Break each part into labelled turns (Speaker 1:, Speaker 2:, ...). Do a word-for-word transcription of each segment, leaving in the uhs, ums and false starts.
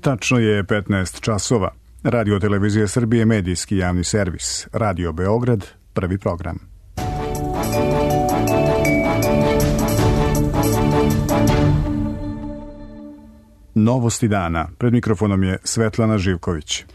Speaker 1: Tačno je petnaest časova. Radio Televizija Srbije, medijski javni servis. Radio Beograd, prvi program. Novosti dana. Pred mikrofonom je Svetlana Živković.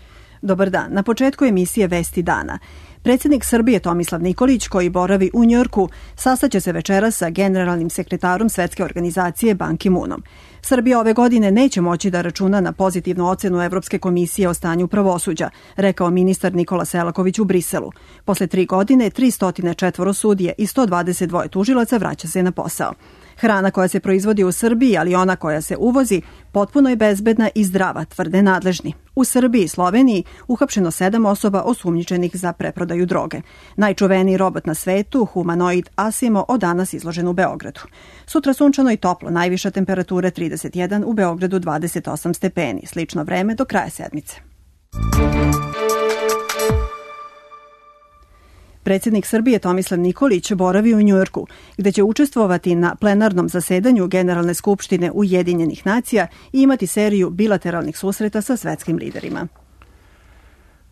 Speaker 2: Dobar dan. Na početku emisije Vesti dana. Predsjednik Srbije Tomislav Nikolić, koji boravi u Njujorku, sastaće se večeras sa generalnim sekretarom Svetske organizacije Ban Ki-moonom. Srbija ove godine neće moći da računa na pozitivnu ocenu Evropske komisije o stanju pravosuđa, rekao ministar Nikola Selaković u Briselu. Posle tri godine, tristo četiri sudije i sto dvadeset dva tužilaca vraća se na posao. Hrana koja se proizvodi u Srbiji, ali ona koja se uvozi, potpuno je bezbedna i zdrava, tvrde nadležni. U Srbiji i Sloveniji uhapšeno sedam osoba osumnjičenih za preprodaju droge. Najčuveniji robot na svetu, humanoid Asimo, od danas izložen u Beogradu. Sutra sunčano i toplo, najviša temperatura trideset jedan, u Beogradu dvadeset osam stepeni. Slično vreme do kraja sedmice. Predsjednik Srbije Tomislav Nikolić boravi u Njujorku, gde će učestvovati na plenarnom zasedanju Generalne skupštine Ujedinjenih nacija i imati seriju bilateralnih susreta sa svetskim liderima.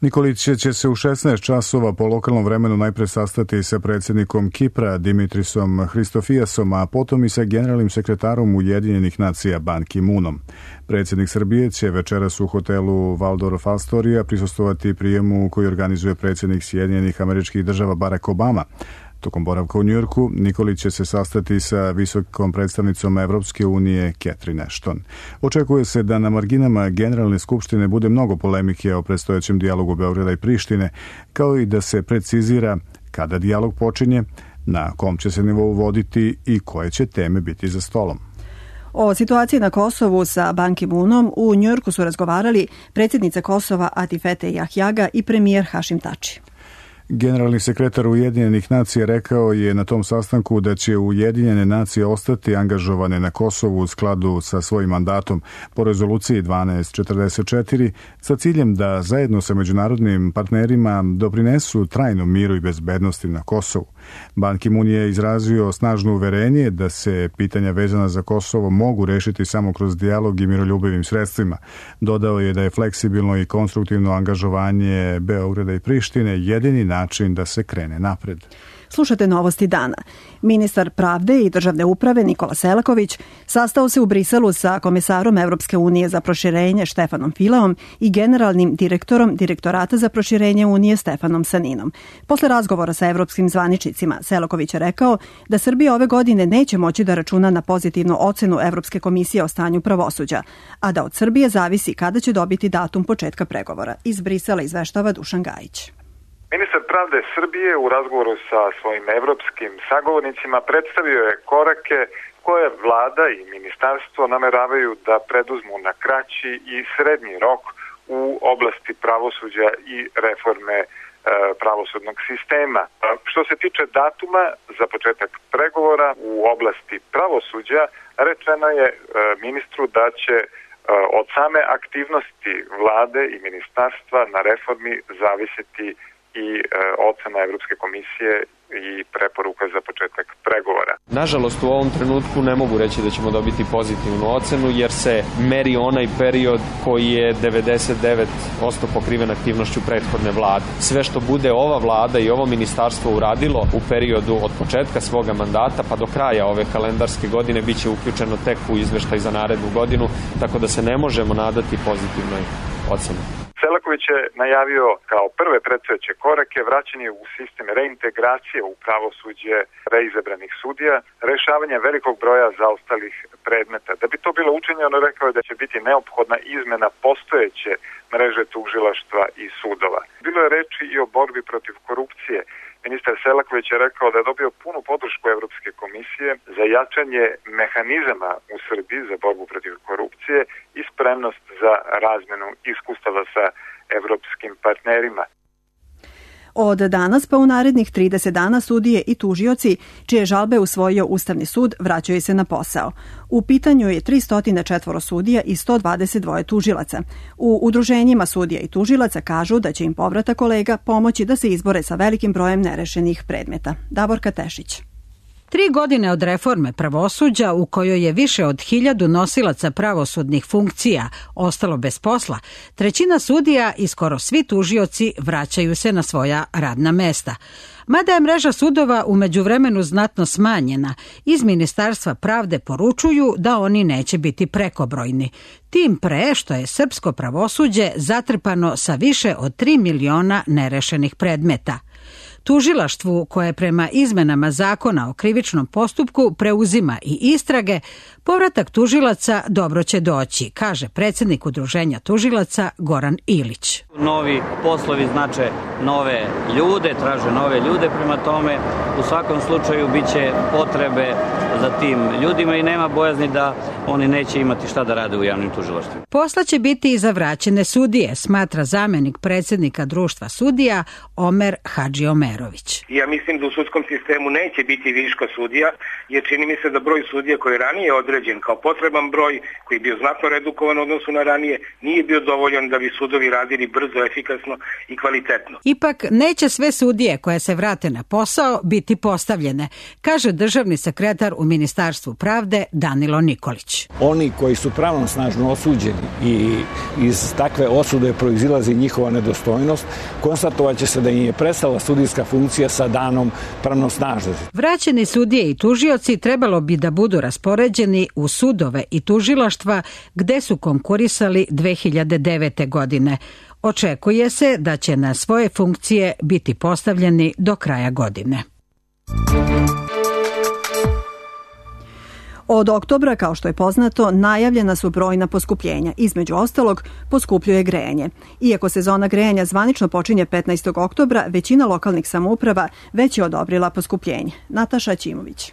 Speaker 1: Nikolić će se u šesnaest časova po lokalnom vremenu najpre sastati sa predsjednikom Kipra Dimitrisom Hristofijasom, a potom i sa generalnim sekretarom Ujedinjenih nacija Ban Ki-moonom. Predsjednik Srbije će večeras u hotelu Waldorf Astoria prisustvovati prijemu koji organizuje predsjednik Sjedinjenih Američkih Država Barack Obama. Tokom boravka u Njujorku, Nikolić će se sastati sa visokom predstavnicom Evropske unije Catherine Ashton. Očekuje se da na marginama Generalne skupštine bude mnogo polemike o predstojećem dijalogu Beograda i Prištine, kao i da se precizira kada dijalog počinje, na kom će se nivou voditi i koje će teme biti za stolom.
Speaker 2: O situaciji na Kosovu sa Ban Ki-moonom u Njujorku su razgovarali predsjednica Kosova Atifete Jahjaga i premijer Hašim Tači.
Speaker 1: Generalni sekretar Ujedinjenih nacija rekao je na tom sastanku da će Ujedinjene nacije ostati angažovane na Kosovu u skladu sa svojim mandatom po rezoluciji dvanaest četrdeset četiri sa ciljem da zajedno sa međunarodnim partnerima doprinesu trajnom miru i bezbednosti na Kosovu. Ban Ki-moon je izrazio snažno uverenje da se pitanja vezana za Kosovo mogu rešiti samo kroz dijalog i miroljubivim sredstvima. Dodao je da je fleksibilno i konstruktivno angažovanje Beograda i Prištine jedini način da se krene napred.
Speaker 2: Slušate Novosti dana. Ministar pravde i državne uprave Nikola Selaković sastao se u Briselu sa komesarom Evropske unije za proširenje Štefanom Fileom i generalnim direktorom Direktorata za proširenje Unije Stefanom Saninom. Posle razgovora sa evropskim zvaničnicima, Selaković je rekao da Srbija ove godine neće moći da računa na pozitivnu ocenu Evropske komisije o stanju pravosuđa, a da od Srbije zavisi kada će dobiti datum početka pregovora. Iz Brisela izveštava Dušan Gajić.
Speaker 3: Ministar pravde Srbije u razgovoru sa svojim evropskim sagovornicima predstavio je korake koje vlada i ministarstvo nameravaju da preduzmu na kraći i srednji rok u oblasti pravosuđa i reforme e, pravosudnog sistema. Što se tiče datuma za početak pregovora u oblasti pravosuđa, rečeno je e, ministru da će e, od same aktivnosti vlade i ministarstva na reformi zavisiti i e, ocena Evropske komisije i preporuka za početak pregovora.
Speaker 4: Nažalost, u ovom trenutku ne mogu reći da ćemo dobiti pozitivnu ocenu, jer se meri onaj period koji je devedeset devet posto pokriven aktivnošću prethodne vlade. Sve što bude ova vlada i ovo ministarstvo uradilo u periodu od početka svoga mandata pa do kraja ove kalendarske godine bit će uključeno tek u izveštaj za narednu godinu, tako da se ne možemo nadati pozitivnoj oceni.
Speaker 3: Selaković je najavio kao prve predstojeće korake vraćanje u sistem reintegracije u pravosuđe reizabranih sudija, rešavanje velikog broja zaostalih predmeta. Da bi to bilo učinjeno, rekao je da će biti neophodna izmena postojeće mreže tužilaštva i sudova. Bilo je reči i o borbi protiv korupcije. Ministar Selaković je rekao da je dobio punu podršku Evropske komisije za jačanje mehanizama u Srbiji za borbu protiv korupcije i spremnost za razmenu iskustava sa evropskim partnerima.
Speaker 2: Od danas pa u narednih trideset dana sudije i tužioci, čije žalbe usvojio Ustavni sud, vraćaju se na posao. U pitanju je tristo četiri sudija i sto dvadeset dva tužilaca. U udruženjima sudija i tužilaca kažu da će im povratak kolega pomoći da se izbore sa velikim brojem nerešenih predmeta. Davorka Tešić.
Speaker 5: Tri godine od reforme pravosuđa u kojoj je više od hiljadu nosilaca pravosudnih funkcija ostalo bez posla, trećina sudija i skoro svi tužioci vraćaju se na svoja radna mesta. Mada je mreža sudova u međuvremenu znatno smanjena, iz Ministarstva pravde poručuju da oni neće biti prekobrojni. Tim pre što je srpsko pravosuđe zatrpano sa više od tri miliona nerešenih predmeta. Tužilaštvu, koje prema izmenama zakona o krivičnom postupku preuzima i istrage, povratak tužilaca dobro će doći, kaže predsjednik Udruženja tužilaca Goran Ilić.
Speaker 6: Novi poslovi znače nove ljude, traže nove ljude, prema tome u svakom slučaju bit će potrebe za tim ljudima i nema bojazni da oni neće imati šta da rade u javnim tužilaštvima.
Speaker 5: Posla će biti i za vraćene sudije, smatra zamenik predsjednika društva sudija Omer Hadžiomerović.
Speaker 7: Ja mislim da u sudskom sistemu neće biti viška sudija, jer čini mi se da broj sudija koji je ranije određen kao potreban broj, koji je bio znatno redukovan u odnosu na ranije, nije bio dovoljan da bi sudovi radili brzo, efikasno i kvalitetno.
Speaker 5: Ipak neće sve sudije koje se vrate na posao biti postavljene, kaže državni sekretar u Ministarstvu pravde Danilo Nikolić.
Speaker 8: Oni koji su pravnosnažno osuđeni i iz takve osude proizilazi njihova nedostojnost, konstatovat će se da im je prestala sudijska funkcija sa danom pravnosnažnosti.
Speaker 5: Vraćeni sudije i tužioci trebalo bi da budu raspoređeni u sudove i tužilaštva gde su konkurisali dve hiljade devete. godine. Očekuje se da će na svoje funkcije biti postavljeni do kraja godine.
Speaker 2: Od oktobra, kao što je poznato, najavljena su brojna poskupljenja. Između ostalog, poskupljuje grejanje. Iako sezona grejanja zvanično počinje petnaestog oktobra, većina lokalnih samouprava već je odobrila poskupljenje. Nataša Ćimović.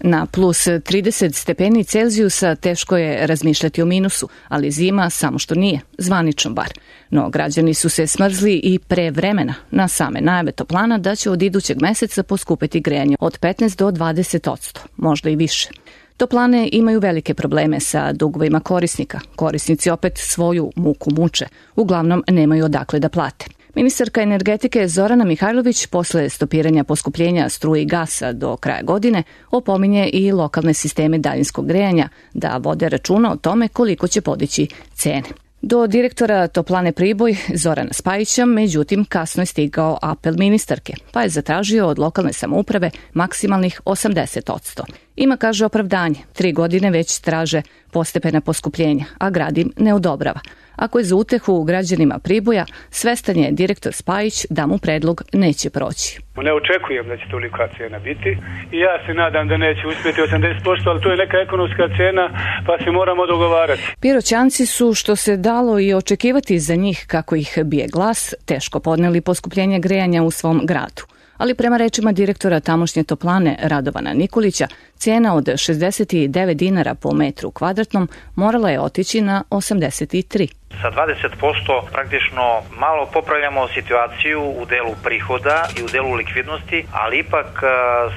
Speaker 9: Na plus trideset stepeni Celzijusa teško je razmišljati o minusu, ali zima samo što nije, zvanično bar. No građani su se smrzli i pre vremena na same najave toplana da će od idućeg meseca poskupiti grejanje od petnaest do dvadeset posto, možda i više. Toplane imaju velike probleme sa dugovima korisnika. Korisnici opet svoju muku muče, uglavnom nemaju odakle da plate. Ministarka energetike Zorana Mihajlović posle stopiranja poskupljenja struje i gasa do kraja godine opominje i lokalne sisteme daljinskog grejanja da vode računa o tome koliko će podići cene. Do direktora Toplane Priboj Zorana Spajića, međutim, kasno je stigao apel ministarke, pa je zatražio od lokalne samouprave maksimalnih osamdeset posto. Ima, kaže, opravdanje. Tri godine već traže postepena poskupljenja, a grad im ne odobrava. Ako je za utehu građanima Priboja, svestan je direktor Spajić da mu predlog neće proći.
Speaker 10: Ne očekujem da će tolika cena biti i ja se nadam da neće uspjeti osamdeset posto, ali to je neka ekonomska cena pa se moramo dogovarati.
Speaker 9: Piroćanci su, što se dalo i očekivati za njih kako ih bije glas, teško podneli poskupljenje grejanja u svom gradu. Ali prema rečima direktora tamošnje toplane Radovana Nikolića, cijena od šezdeset devet dinara po metru kvadratnom morala je otići na osamdeset tri.
Speaker 11: Sa dvadeset posto praktično malo popravljamo situaciju u delu prihoda i u delu likvidnosti, ali ipak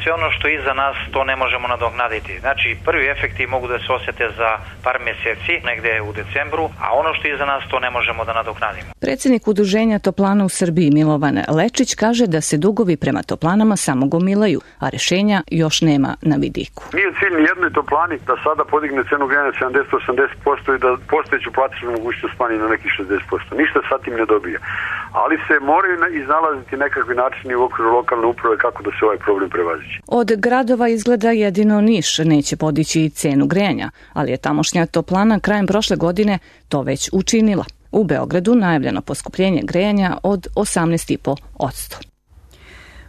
Speaker 11: sve ono što je iza nas to ne možemo nadoknaditi. Znači prvi efekti mogu da se osjete za par mjeseci, negde u decembru, a ono što je iza nas to ne možemo da nadoknadimo.
Speaker 9: Predsjednik Udruženja toplana u Srbiji Milovan Lečić kaže da se dugovi prema toplanama samo gomilaju, a rešenja još nema na vidiku.
Speaker 12: Nije cilj ni jednoj toplani da sada podigne cenu grejanja sedamdeset do osamdeset posto i da postojeću platežnu mogućnost na nekih šezdeset posto. Ništa sad tim ne dobija. Ali se moraju iznalaziti nekakvi načini u okviru lokalne uprave kako da se ovaj problem prevaziđe.
Speaker 9: Od gradova izgleda jedino Niš neće podići cenu grejanja, ali je tamošnja toplana krajem prošle godine to već učinila. U Beogradu najavljeno poskupljenje grejanja od osamnaest zarez pet posto.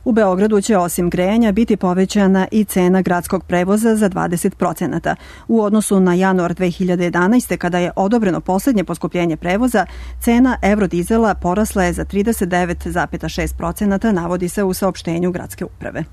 Speaker 2: U Beogradu će osim grejanja biti povećana i cena gradskog prevoza za dvadeset procenata. U odnosu na januar dve hiljade jedanaeste. kada je odobreno posljednje poskupljenje prevoza, cena eurodizela porasla je za trideset devet zarez šest procenata, navodi se u saopštenju gradske uprave.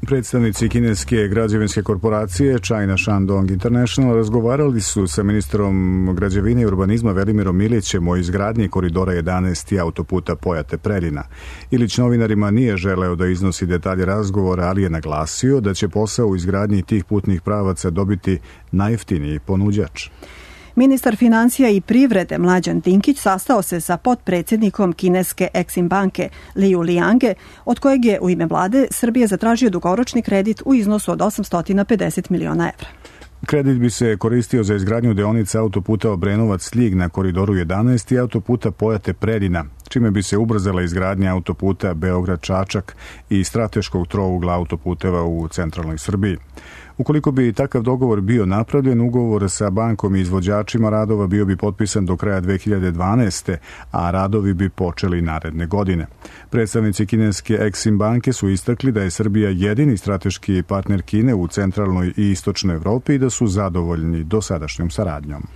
Speaker 1: Predstavnici kineske građevinske korporacije China Shandong International razgovarali su sa ministrom građevine i urbanizma Velimirom Ilićem o izgradnji koridora jedanaest i autoputa Pojate-Preljina. Ilić novinarima nije želeo da iznosi detalje razgovora, ali je naglasio da će posao u izgradnji tih putnih pravaca dobiti najjeftiniji ponuđač.
Speaker 2: Ministar financija i privrede Mlađan Dinkić sastao se sa potpredsjednikom kineske Exim banke Liu Liange, od kojeg je u ime vlade Srbije zatražio dugoročni kredit u iznosu od osamsto pedeset miliona evra.
Speaker 1: Kredit bi se koristio za izgradnju deonice autoputa Obrenovac-Ljig na koridoru jedanaest i autoputa Pojate-Predina, čime bi se ubrzala izgradnja autoputa Beograd-Čačak i strateškog trougla autoputeva u centralnoj Srbiji. Ukoliko bi takav dogovor bio napravljen, ugovor sa bankom i izvođačima radova bio bi potpisan do kraja dve hiljade dvanaeste. a radovi bi počeli naredne godine. Predstavnici kineske Exim banke su istakli da je Srbija jedini strateški partner Kine u centralnoj i istočnoj Evropi i da su zadovoljni dosadašnjom saradnjom.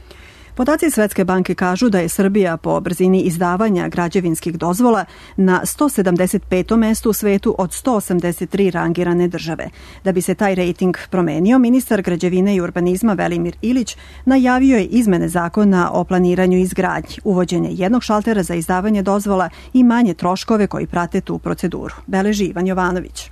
Speaker 2: Podaci Svetske banke kažu da je Srbija po brzini izdavanja građevinskih dozvola na sto sedamdeset petom mestu u svetu od sto osamdeset tri rangirane države. Da bi se taj rejting promenio, ministar građevine i urbanizma Velimir Ilić najavio je izmene zakona o planiranju i izgradnji, uvođenje jednog šaltera za izdavanje dozvola i manje troškove koji prate tu proceduru. Beleži Ivan Jovanović.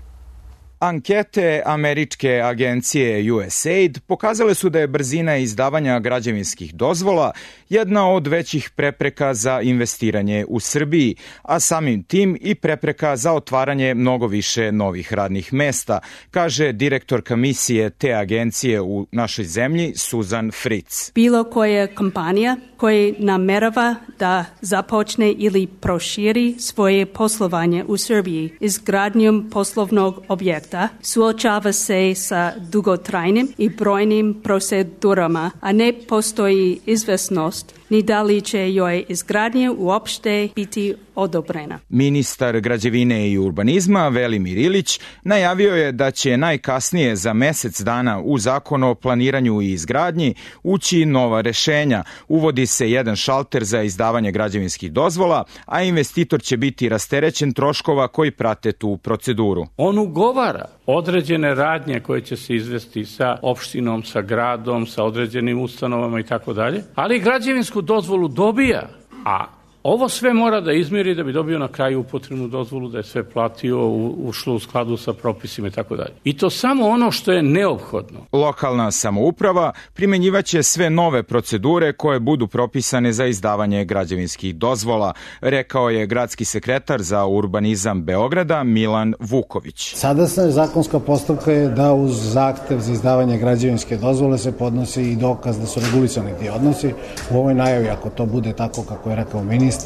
Speaker 13: Ankete američke agencije U S A I D pokazale su da je brzina izdavanja građevinskih dozvola jedna od većih prepreka za investiranje u Srbiji, a samim tim i prepreka za otvaranje mnogo više novih radnih mesta, kaže direktorka misije te agencije u našoj zemlji Suzan Fritz.
Speaker 14: Bilo koja kompanija koja namerava da započne ili proširi svoje poslovanje u Srbiji izgradnjom poslovnog objekta suočava se sa dugotrajnim i brojnim procedurama, a ne postoji izvesnost ni da li će joj izgradnja uopšte biti odobrena.
Speaker 13: Ministar građevine i urbanizma Velimir Ilić najavio je da će najkasnije za mesec dana u Zakon o planiranju i izgradnji ući nova rešenja. Uvodi se jedan šalter za izdavanje građevinskih dozvola, a investitor će biti rasterećen troškova koji prate tu proceduru.
Speaker 15: On ugovara određene radnje koje će se izvesti sa opštinom, sa gradom, sa određenim ustanovama i tako dalje, ali građevinsku dozvolu dobija, a ovo sve mora da izmiri da bi dobio na kraju upotrebnu dozvolu, da je sve platio, ušlo u skladu sa propisima i tako dalje. I to samo ono što je neophodno.
Speaker 13: Lokalna samouprava primenjivaće sve nove procedure koje budu propisane za izdavanje građevinskih dozvola, rekao je gradski sekretar za urbanizam Beograda Milan Vuković.
Speaker 16: Sadašnja zakonska postupka je da uz zahtev za izdavanje građevinske dozvole se podnosi i dokaz da su regulisani ti odnosi. U ovoj najavi, ako to bude tako kako je rekao ministar,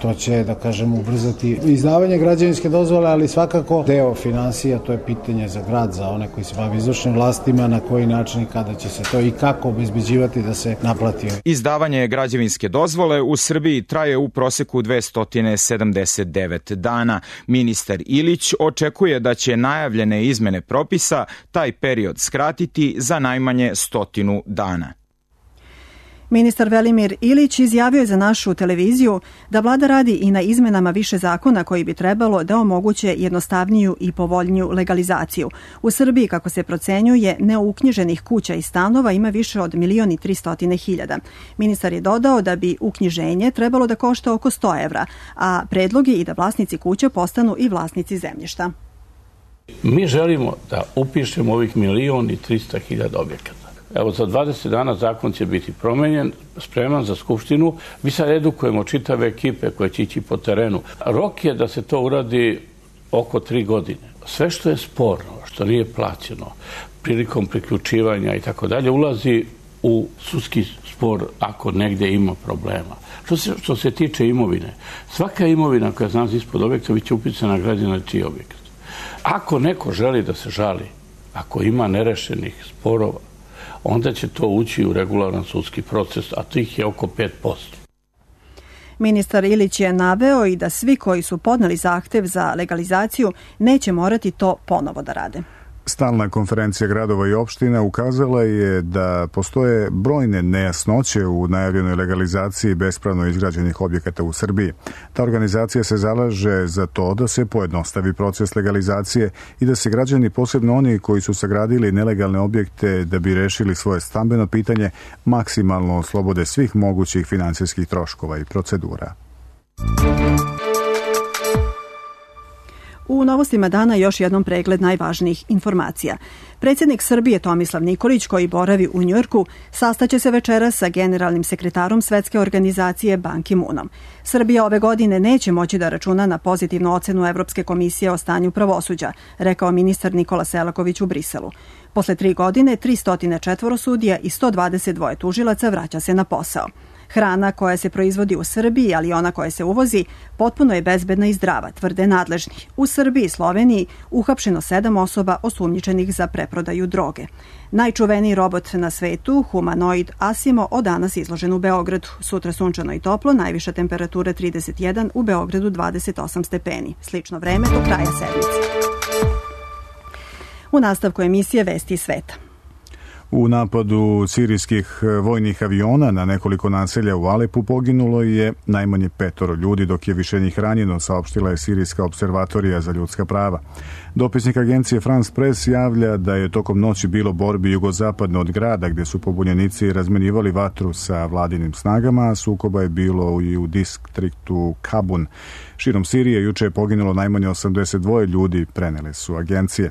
Speaker 16: to će, da kažem, ubrzati izdavanje građevinske dozvole, ali svakako deo finansija, to je pitanje za grad, za one koji se bavi izvršnim vlastima, na koji način i kada će se to i kako obezbeđivati da se naplati.
Speaker 13: Izdavanje građevinske dozvole u Srbiji traje u proseku dvesta sedamdeset devet dana. Ministar Ilić očekuje da će najavljene izmene propisa taj period skratiti za najmanje stotinu dana.
Speaker 2: Ministar Velimir Ilić izjavio je za našu televiziju da vlada radi i na izmenama više zakona koji bi trebalo da omoguće jednostavniju i povoljniju legalizaciju. U Srbiji, kako se procenjuje, neuknjiženih kuća i stanova ima više od milion i tristotine hiljada. Ministar je dodao da bi uknjiženje trebalo da košta oko sto evra, a predlog je i da vlasnici kuća postanu i vlasnici zemljišta.
Speaker 15: Mi želimo da upišemo ovih milion i trista hiljada objekata. Evo, za dvadeset dana zakon će biti promenjen, spreman za Skupštinu. Mi sad edukujemo čitave ekipe koje će ići po terenu. Rok je da se to uradi oko tri godine. Sve što je sporno, što nije plaćeno, prilikom priključivanja i tako dalje, ulazi u sudski spor ako negde ima problema. Što se, što se tiče imovine, svaka imovina koja znaš ispod objekta biće upisana na građevinski objekat. Ako neko želi da se žali, ako ima nerešenih sporova, onda će to ući u regularan sudski proces, a tih je oko pet posto.
Speaker 2: Ministar Ilić je naveo i da svi koji su podneli zahtev za legalizaciju neće morati to ponovo da rade.
Speaker 1: Stalna konferencija gradova i opština ukazala je da postoje brojne nejasnoće u najavljenoj legalizaciji bespravno izgrađenih objekata u Srbiji. Ta organizacija se zalaže za to da se pojednostavi proces legalizacije i da se građani, posebno oni koji su sagradili nelegalne objekte da bi rešili svoje stambeno pitanje, maksimalno oslobode svih mogućih finansijskih troškova i procedura.
Speaker 2: U novostima dana još jednom pregled najvažnijih informacija. Predsjednik Srbije Tomislav Nikolić, koji boravi u Njujorku, sastaće se večeras sa generalnim sekretarom Svetske organizacije Ban Ki-moonom. Srbija ove godine neće moći da računa na pozitivnu ocenu Evropske komisije o stanju pravosuđa, rekao ministar Nikola Selaković u Briselu. Posle tri godine, tristo četiri sudija i sto dvadeset dva tužilaca vraća se na posao. Hrana koja se proizvodi u Srbiji, ali i ona koja se uvozi, potpuno je bezbedna i zdrava, tvrde nadležni. U Srbiji i Sloveniji uhapšeno sedam osoba osumnjičenih za preprodaju droge. Najčuveniji robot na svetu, humanoid Asimo, od danas izložen u Beogradu. Sutra sunčano i toplo, najviša temperatura trideset jedan, u Beogradu dvadeset osam stepeni. Slično vreme do kraja sedmice. U nastavku emisije Vesti iz sveta.
Speaker 1: U napadu sirijskih vojnih aviona na nekoliko naselja u Alepu poginulo je najmanje petoro ljudi, dok je više njih ranjeno, saopštila je Sirijska observatorija za ljudska prava. Dopisnik agencije France Press javlja da je tokom noći bilo borbi jugozapadno od grada, gde su pobunjenici razmenjivali vatru sa vladinim snagama, a sukoba je bilo i u distriktu Kabun. Širom Sirije juče je poginulo najmanje osamdeset dva ljudi, prenele su agencije.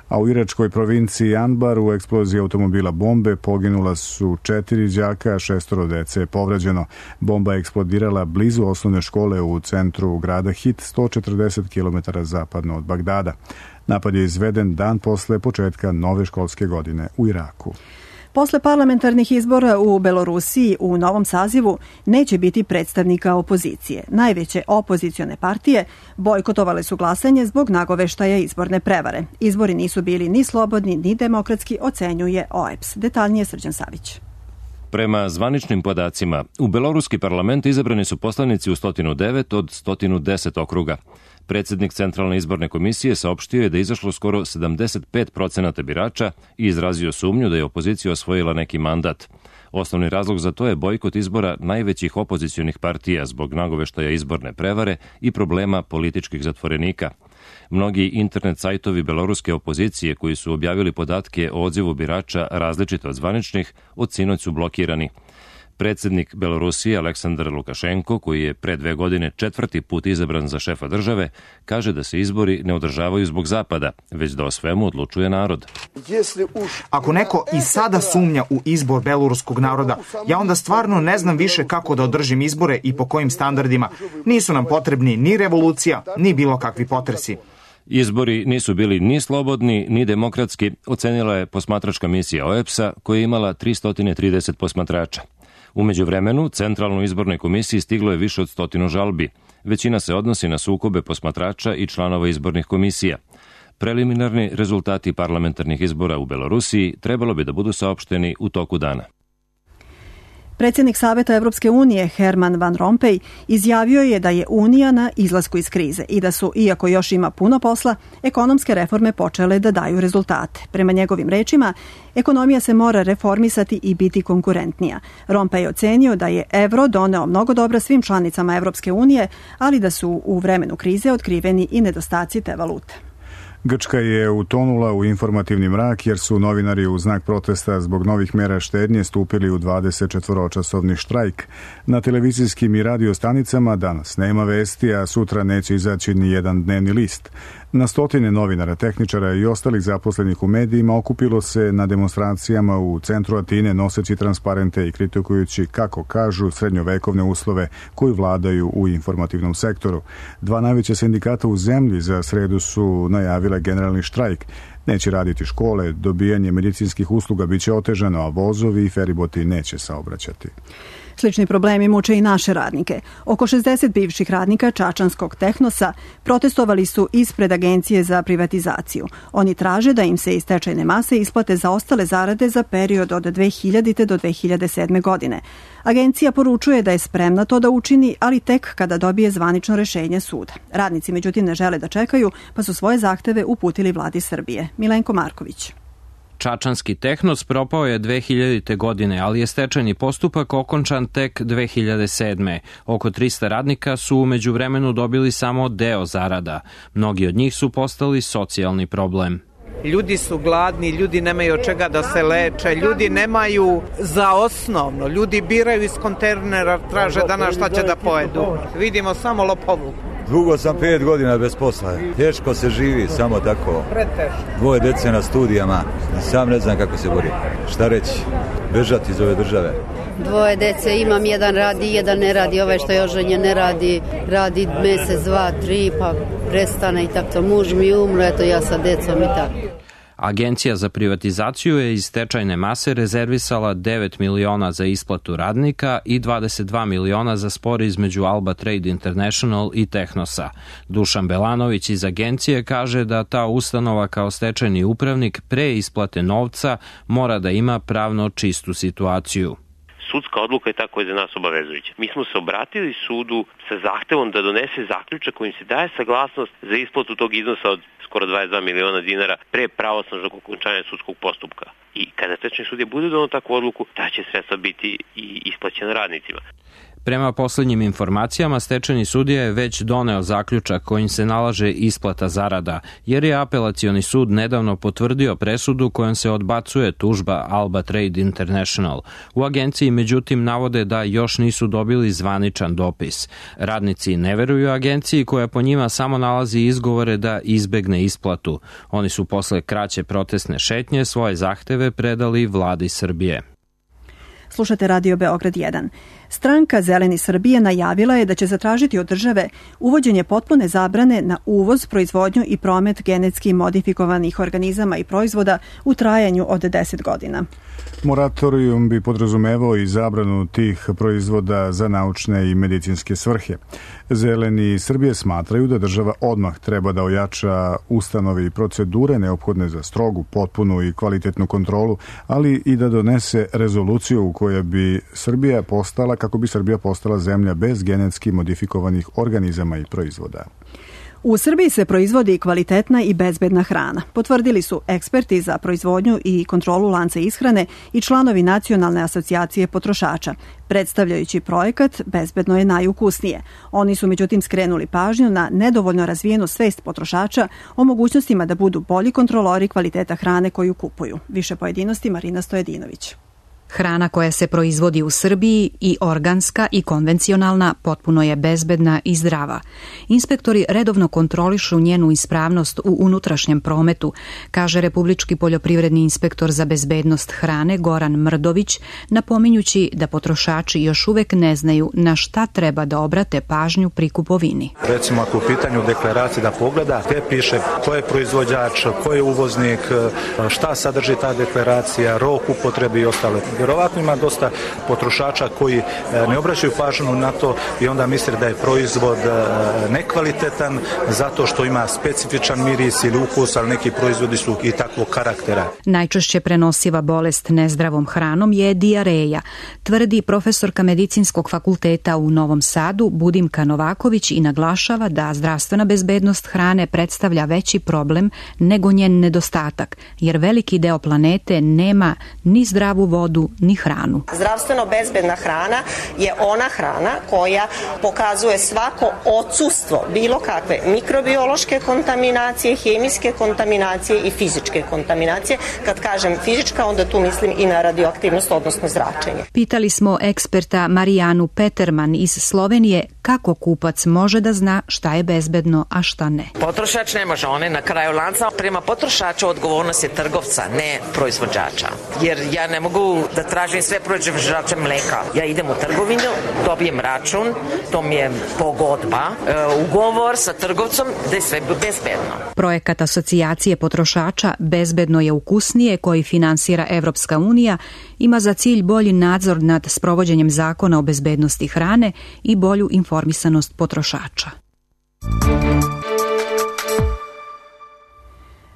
Speaker 1: A u iračkoj provinciji Anbar u eksploziji automobila bombe poginula su četiri đaka, šestoro dece je povređeno. Bomba je eksplodirala blizu osnovne škole u centru grada Hit, sto četrdeset kilometara zapadno od Bagdada. Napad je izveden dan posle početka nove školske godine u Iraku.
Speaker 2: Posle parlamentarnih izbora u Belorusiji u novom sazivu neće biti predstavnika opozicije. Najveće opozicione partije bojkotovale su glasanje zbog nagoveštaja izborne prevare. Izbori nisu bili ni slobodni ni demokratski, ocenjuje O E P S. Detaljnije Srđan Savić.
Speaker 17: Prema zvaničnim podacima, u beloruski parlament izabrani su poslanici u sto devet od sto deset okruga. Predsjednik Centralne izborne komisije saopštio je da je izašlo skoro sedamdeset pet procenata birača i izrazio sumnju da je opozicija osvojila neki mandat. Osnovni razlog za to je bojkot izbora najvećih opozicionih partija zbog nagoveštaja izborne prevare i problema političkih zatvorenika. Mnogi internet sajtovi beloruske opozicije koji su objavili podatke o odzivu birača različite od zvaničnih, od sinoć su blokirani. Predsjednik Belorusije Aleksandar Lukašenko, koji je pre dve godine četvrti put izabran za šefa države, kaže da se izbori ne održavaju zbog Zapada, već da o svemu odlučuje narod.
Speaker 18: Ako neko i sada sumnja u izbor beloruskog naroda, ja onda stvarno ne znam više kako da održim izbore i po kojim standardima. Nisu nam potrebni ni revolucija, ni bilo kakvi potresi.
Speaker 17: Izbori nisu bili ni slobodni, ni demokratski, ocenila je posmatračka misija O E P S-a koja je imala tristo trideset posmatrača. U međuvremenu, Centralnoj izbornoj komisiji stiglo je više od stotinu žalbi. Većina se odnosi na sukobe posmatrača i članova izbornih komisija. Preliminarni rezultati parlamentarnih izbora u Belorusiji trebalo bi da budu saopšteni u toku dana.
Speaker 2: Predsjednik Saveta Evropske unije Herman Van Rompuy izjavio je da je Unija na izlasku iz krize i da su, iako još ima puno posla, ekonomske reforme počele da daju rezultate. Prema njegovim rečima, ekonomija se mora reformisati i biti konkurentnija. Rompuy je ocenio da je evro doneo mnogo dobra svim članicama Evropske unije, ali da su u vremenu krize otkriveni i nedostaci te valute.
Speaker 1: Grčka je utonula u informativni mrak jer su novinari u znak protesta zbog novih mera štednje stupili u dvadesetčetvoročasovni štrajk. Na televizijskim i radio stanicama danas nema vesti, a sutra neće izaći ni jedan dnevni list. Na stotine novinara, tehničara i ostalih zaposlenih u medijima okupilo se na demonstracijama u centru Atine noseći transparente i kritikujući, kako kažu, srednjovekovne uslove koji vladaju u informativnom sektoru. Dva najveća sindikata u zemlji za sredu su najavile generalni štrajk. Neće raditi škole, dobijanje medicinskih usluga biće otežano, a vozovi i feriboti neće saobraćati.
Speaker 2: Slični problemi muče i naše radnike. Oko šezdeset bivših radnika Čačanskog Tehnosa protestovali su ispred Agencije za privatizaciju. Oni traže da im se iz stečajne mase isplate zaostale zarade za period od dve hiljadite do dve hiljade sedme. godine. Agencija poručuje da je spremna to da učini, ali tek kada dobije zvanično rešenje suda. Radnici međutim ne žele da čekaju, pa su svoje zahteve uputili vladi Srbije. Milenko Marković.
Speaker 19: Čačanski Tehnos propao je dve hiljadite. godine, ali je stečajni postupak okončan tek dve hiljade sedme. Oko trista radnika su u međuvremenu dobili samo deo zarada. Mnogi od njih su postali socijalni problem.
Speaker 20: Ljudi su gladni, ljudi nemaju od čega da se leče, ljudi nemaju za osnovno, ljudi biraju iz kontejnera, traže danas šta će da pojedu. Vidimo samo lopovluk.
Speaker 21: Dugo sam pet godina bez posla. Teško se živi, samo tako. Dvoje dece na studijama. Sam ne znam kako se bori. Šta reći? Bežati iz ove države.
Speaker 22: Dvoje dece imam, jedan radi, jedan ne radi. Ovaj što je oženjen ne radi, radi mesec, dva, tri, pa prestane i tako. Muž mi umro, eto ja sa decom i tako.
Speaker 19: Agencija za privatizaciju je iz stečajne mase rezervisala devet miliona za isplatu radnika i dvadeset dva miliona za spor između Alba Trade International i Tehnosa. Dušan Belanović iz agencije kaže da ta ustanova kao stečajni upravnik pre isplate novca mora da ima pravno čistu situaciju.
Speaker 23: Sudska odluka je ta koja je za nas obavezujuća. Mi smo se obratili sudu sa zahtevom da donese zaključak kojim se daje saglasnost za isplatu tog iznosa od skoro dvadeset dva miliona dinara pre pravosnažnog okončanja sudskog postupka. I kada stečajni sudija bude doneo takvu odluku, ta će sredstva biti i isplaćena radnicima.
Speaker 19: Prema poslednjim informacijama, stečajni sudija je već doneo zaključak kojim se nalaže isplata zarada, jer je apelacioni sud nedavno potvrdio presudu kojom se odbacuje tužba Alba Trade International. U agenciji međutim navode da još nisu dobili zvaničan dopis. Radnici ne veruju agenciji koja po njima samo nalazi izgovore da izbegne isplatu. Oni su posle kraće protestne šetnje svoje zahteve predali vladi Srbije.
Speaker 2: Slušate Radio Beograd jedan. Stranka Zeleni Srbije najavila je da će zatražiti od države uvođenje potpune zabrane na uvoz, proizvodnju i promet genetski modifikovanih organizama i proizvoda u trajanju od deset godina.
Speaker 1: Moratorijum bi podrazumevao i zabranu tih proizvoda za naučne i medicinske svrhe. Zeleni Srbije smatraju da država odmah treba da ojača ustanove i procedure neophodne za strogu, potpunu i kvalitetnu kontrolu, ali i da donese rezoluciju u kojoj bi Srbija postala, kako bi Srbija postala zemlja bez genetski modifikovanih organizama i proizvoda.
Speaker 2: U Srbiji se proizvodi kvalitetna i bezbedna hrana. Potvrdili su eksperti za proizvodnju i kontrolu lanca ishrane i članovi Nacionalne asocijacije potrošača. Predstavljajući projekat Bezbedno je najukusnije. Oni su međutim skrenuli pažnju na nedovoljno razvijenu svest potrošača o mogućnostima da budu bolji kontrolori kvaliteta hrane koju kupuju. Više pojedinosti Marina Stojedinović.
Speaker 24: Hrana koja se proizvodi u Srbiji, i organska i konvencionalna, potpuno je bezbedna i zdrava. Inspektori redovno kontrolišu njenu ispravnost u unutrašnjem prometu, kaže Republički poljoprivredni inspektor za bezbednost hrane Goran Mrdović, napominjući da potrošači još uvek ne znaju na šta treba da obrate pažnju pri kupovini.
Speaker 25: Recimo ako u pitanju deklaracije da pogleda, gde piše ko je proizvođač, ko je uvoznik, šta sadrži ta deklaracija, rok upotrebe i ostale. Vjerovatno ima dosta potrošača koji ne obraćaju pažnju na to i onda misle da je proizvod nekvalitetan zato što ima specifičan miris ili ukus, ali neki proizvodi su i takvog karaktera.
Speaker 24: Najčešće prenosiva bolest nezdravom hranom je dijareja, tvrdi profesorka Medicinskog fakulteta u Novom Sadu Budimka Novaković i naglašava da zdravstvena bezbednost hrane predstavlja veći problem nego njen nedostatak, jer veliki deo planete nema ni zdravu vodu ni hranu.
Speaker 26: Zdravstveno bezbedna hrana je ona hrana koja pokazuje svako odsustvo bilo kakve mikrobiološke kontaminacije, hemijske kontaminacije i fizičke kontaminacije. Kad kažem fizička, onda tu mislim i na radioaktivnost, odnosno zračenje.
Speaker 24: Pitali smo eksperta Marijanu Peterman iz Slovenije kako kupac može da zna šta je bezbedno, a šta ne.
Speaker 27: Potrošač ne može, on je na kraju lanca. Prema potrošaču odgovornost je trgovca, ne proizvođača. Jer ja ne mogu da tražim sve proizvođače mleka. Ja idem u trgovinu, dobijem račun, to mi je pogodba, e, ugovor sa trgovcom da je sve bezbedno.
Speaker 24: Projekat Asocijacije potrošača Bezbedno je ukusnije, koji finansira Evropska unija, ima za cilj bolji nadzor nad sprovođenjem zakona o bezbednosti hrane i bolju informisanost potrošača.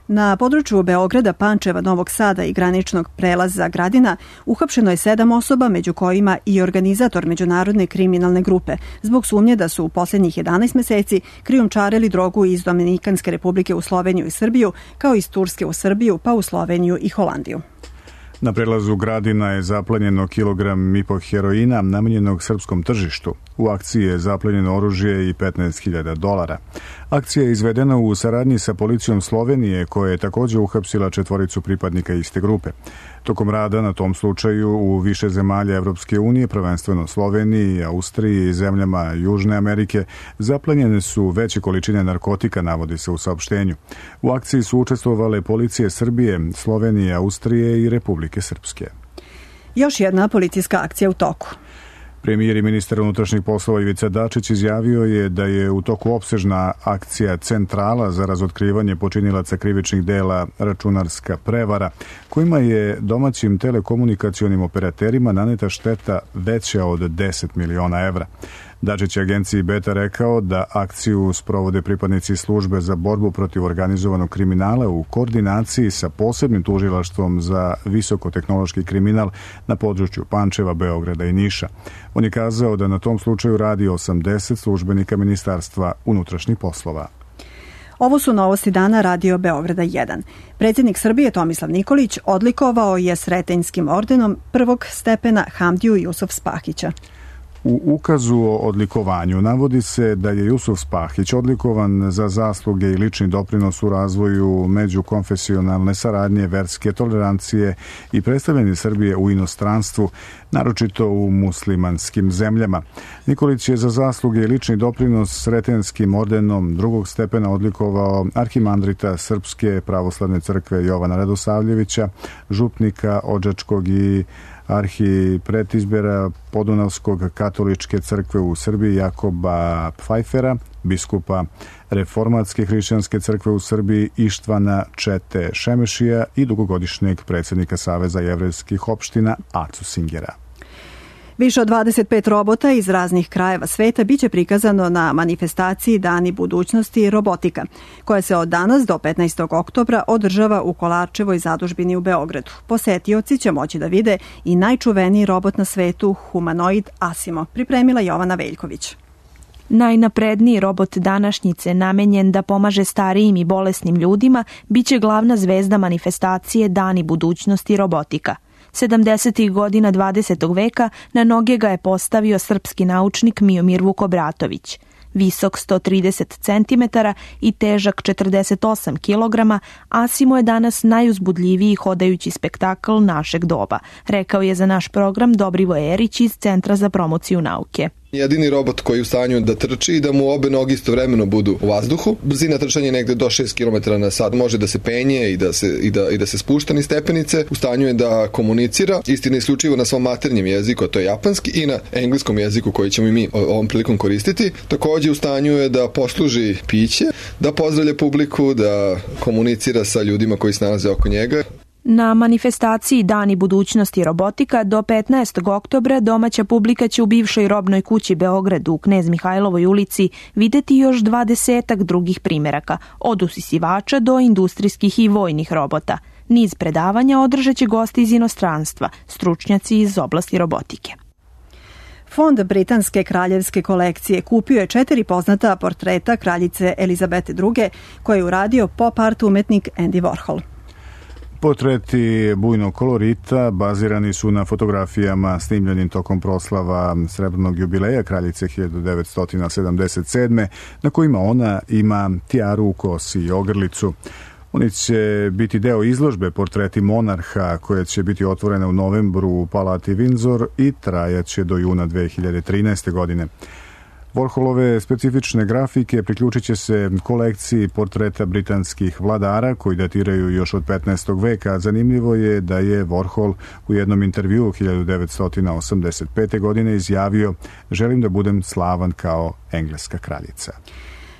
Speaker 2: Na području Beograda, Pančeva, Novog Sada i graničnog prelaza Gradina uhapšeno je sedam osoba, među kojima i organizator međunarodne kriminalne grupe, zbog sumnje da su u posljednjih jedanaest meseci krijumčarili drogu iz Dominikanske republike u Sloveniju i Srbiju, kao iz Turske u Srbiju, pa u Sloveniju i Holandiju.
Speaker 1: Na prelazu Gradina je zaplenjeno kilogram i po heroina namenjenog srpskom tržištu. U akciji je zaplenjeno oružje i petnaest hiljada dolara. Akcija je izvedena u saradnji sa policijom Slovenije, koja je također uhapsila četvoricu pripadnika iste grupe. Tokom rada na tom slučaju u više zemalja Evropske unije, prvenstveno Sloveniji, Austriji i zemljama Južne Amerike, zaplenjene su veće količine narkotika, navodi se u saopštenju. U akciji su učestvovale policije Srbije, Slovenije, Austrije i Republike Srpske.
Speaker 2: Još jedna policijska akcija u toku.
Speaker 1: Premijer i ministar unutrašnjih poslova Ivica Dačić izjavio je da je u toku opsežna akcija Centrala za razotkrivanje počinilaca krivičnih dela računarska prevara, kojima je domaćim telekomunikacionim operaterima naneta šteta veća od deset miliona evra. Dačić je agenciji Beta rekao da akciju sprovode pripadnici službe za borbu protiv organizovanog kriminala u koordinaciji sa posebnim tužilaštvom za visokotehnološki kriminal na području Pančeva, Beograda i Niša. On je kazao da na tom slučaju radi osamdeset službenika Ministarstva unutrašnjih poslova.
Speaker 2: Ovo su novosti dana Radio Beograda jedan. Predsjednik Srbije Tomislav Nikolić odlikovao je Sretenjskim ordenom prvog stepena Hamdiju Jusuf Spahića.
Speaker 1: U ukazu o odlikovanju navodi se da je Jusuf Spahić odlikovan za zasluge i lični doprinos u razvoju međukonfesionalne saradnje, verske tolerancije i predstavljanje Srbije u inostranstvu, naročito u muslimanskim zemljama. Nikolić je za zasluge i lični doprinos Sretenskim ordenom drugog stepena odlikovao arhimandrita Srpske pravoslavne crkve Jovana Radosavljevića, župnika Odžačkog i arhipretizbera Podunavskog katoličke crkve u Srbiji Jakoba Pfajfera, biskupa Reformatske hrišćanske crkve u Srbiji Ištvana Čete Šemešija i dugogodišnjeg predsjednika Saveza jevrejskih opština Acu Singera.
Speaker 2: Više od dvadeset pet robota iz raznih krajeva sveta biće prikazano na manifestaciji Dani budućnosti robotika, koja se od danas do petnaestog oktobra održava u Kolarčevoj zadužbini u Beogradu. Posetioci će moći da vide i najčuveniji robot na svetu, humanoid Asimo, pripremila Jovana Veljković.
Speaker 3: Najnapredniji robot današnjice, namenjen da pomaže starijim i bolesnim ljudima, biće glavna zvezda manifestacije Dani budućnosti robotika. sedamdesetih godina dvadesetog veka na noge ga je postavio srpski naučnik Miomir Vukobratović. Visok sto trideset centimetara i težak četrdeset osam kilograma, Asimo je danas najuzbudljiviji hodajući spektakl našeg doba, rekao je za naš program Dobrivoje Erić iz Centra za promociju nauke.
Speaker 4: Jedini robot koji je u stanju da trči i da mu obe noge istovremeno budu u vazduhu. Brzina trčanja je negde do šest kilometara na sat. Može da se penje i da se, i da, i da se spušta niz stepenice. U stanju je da komunicira, istina isključivo na svom maternjem jeziku, a to je japanski, i na engleskom jeziku koji ćemo i mi ovom prilikom koristiti. Također u stanju je da posluži piće, da pozdravlja publiku, da komunicira sa ljudima koji se nalaze oko njega.
Speaker 3: Na manifestaciji Dani budućnosti robotika do petnaestog oktobra domaća publika će u bivšoj robnoj kući Beogradu u Knez Mihajlovoj ulici videti još dvadesetak drugih primeraka, od usisivača do industrijskih i vojnih robota. Niz predavanja održat će gosti iz inostranstva, stručnjaci iz oblasti robotike.
Speaker 2: Fond britanske kraljevske kolekcije kupio je četiri poznata portreta kraljice Elizabete druge koje je uradio pop art umetnik Andy Warhol.
Speaker 1: Portreti bujnog kolorita bazirani su na fotografijama snimljenim tokom proslava srebrnog jubileja kraljice hiljadu devetsto sedamdeset sedme na kojima ona ima tijaru u kosi i ogrlicu. Oni će biti deo izložbe Portreti monarha koja će biti otvorena u novembru u Palati Windsor i trajaće do juna dve hiljade trinaeste. godine. Warholove specifične grafike priključit će se kolekciji portreta britanskih vladara koji datiraju još od petnaestog veka. Zanimljivo je da je Warhol u jednom intervjuu hiljadu devetsto osamdeset pete. godine izjavio: "Želim da budem slavan kao engleska kraljica."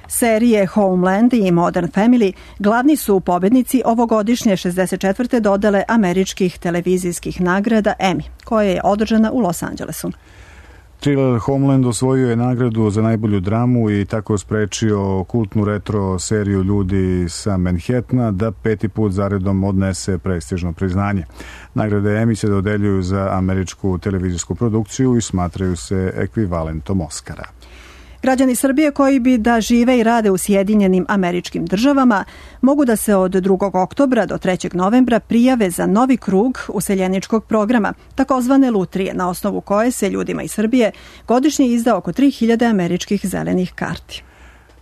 Speaker 2: Serije Homeland i Modern Family glavni su pobednici ovogodišnje šezdeset četvrte dodele američkih televizijskih nagrada Emmy, koja je održana u Los Angelesu.
Speaker 1: Thriller Homeland osvojio je nagradu za najbolju dramu i tako sprečio kultnu retro seriju Ljudi sa Manhattana da peti put zaredom odnese prestižno priznanje. Nagrade Emmy se dodeljuju za američku televizijsku produkciju i smatraju se ekvivalentom Oscara.
Speaker 2: Građani Srbije koji bi da žive i rade u Sjedinjenim Američkim Državama mogu da se od drugog oktobra do trećeg novembra prijave za novi krug useljeničkog programa, takozvane lutrije, na osnovu koje se ljudima iz Srbije godišnje izda oko tri hiljade američkih zelenih karti.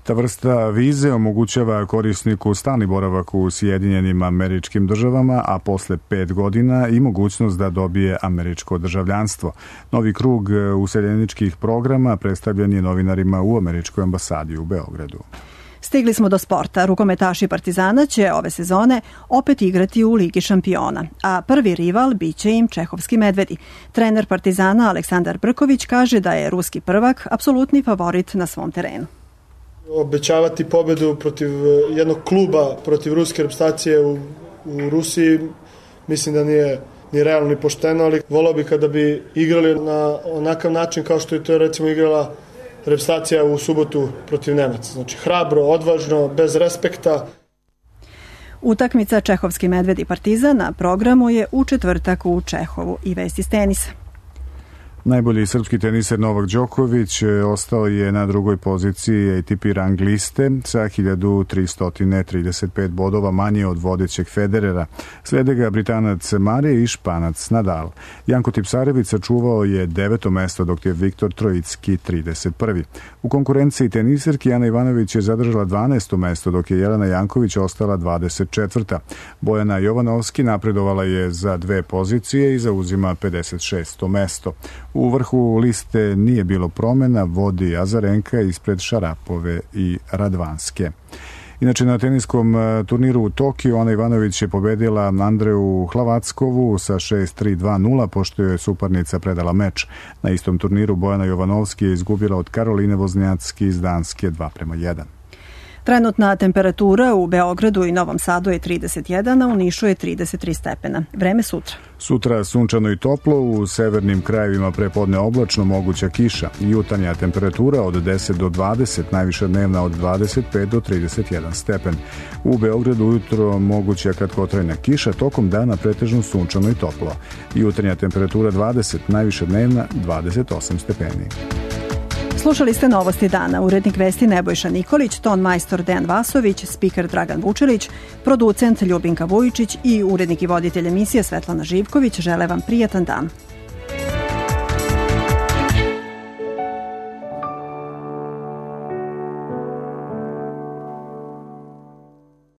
Speaker 1: Ta vrsta vize omogućava korisniku stalni boravak u Sjedinjenim Američkim Državama, a posle pet godina i mogućnost da dobije američko državljanstvo. Novi krug useljeničkih programa predstavljen je novinarima u Američkoj ambasadi u Beogradu.
Speaker 2: Stigli smo do sporta. Rukometaši Partizana će ove sezone opet igrati u Ligi šampiona, a prvi rival biće im čehovski Medvedi. Trener Partizana Aleksandar Brković kaže da je ruski prvak apsolutni favorit na svom terenu.
Speaker 5: Obećavati pobedu protiv jednog kluba, protiv ruske reprezentacije u, u Rusiji, mislim da nije ni realno ni pošteno, ali volao bi kada bi igrali na onakav način kao što je to recimo igrala reprezentacija u subotu protiv Nemaca. Znači hrabro, odvažno, bez respekta.
Speaker 2: Utakmica Čehovski Medvedi Partizan na programu je u četvrtak u Čehovu. I vesti s tenisa.
Speaker 1: Najbolji srpski teniser Novak Đoković ostao je na drugoj poziciji A T P rang liste sa hiljadu tristo trideset pet bodova manje od vodećeg Federera. Slede ga Britanac Mare i Španac Nadal. Janko Tipsarević sačuvao je deveto mesto, dok je Viktor Trojicki trideset prvi. U konkurenciji teniserki Ana Ivanović je zadržala dvanaesto mesto, dok je Jelena Janković ostala dvadeset četvrta. Bojana Jovanovski napredovala je za dve pozicije i zauzima pedeset šesto mesto. U vrhu liste nije bilo promena, vodi Azarenka ispred Šarapove i Radvanske. Inače, na teniskom turniru u Tokiju Ana Ivanović je pobedila Andreju Hlavackovu sa šest tri dva nula, pošto je suparnica predala meč. Na istom turniru Bojana Jovanovski je izgubila od Karoline Voznjacki iz Danske dva prema jedan.
Speaker 2: Trenutna temperatura u Beogradu i Novom Sadu je trideset jedan, a u Nišu je trideset tri stepena. Vreme sutra.
Speaker 1: Sutra sunčano i toplo, u severnim krajevima prepodne oblačno, moguća kiša. Jutarnja temperatura od deset do dvadeset, najviša dnevna od dvadeset pet do trideset jedan stepen. U Beogradu ujutro moguća kratkotrajna kiša, tokom dana pretežno sunčano i toplo. Jutarnja temperatura dvadeset, najviša dnevna dvadeset osam stepeni.
Speaker 2: Slušali ste Novosti dana. Urednik vesti Nebojša Nikolić, ton majstor Dejan Vasović, spiker Dragan Vučelić, producent Ljubinka Vujičić i urednik i voditelj emisije Svetlana Živković žele vam prijatan dan.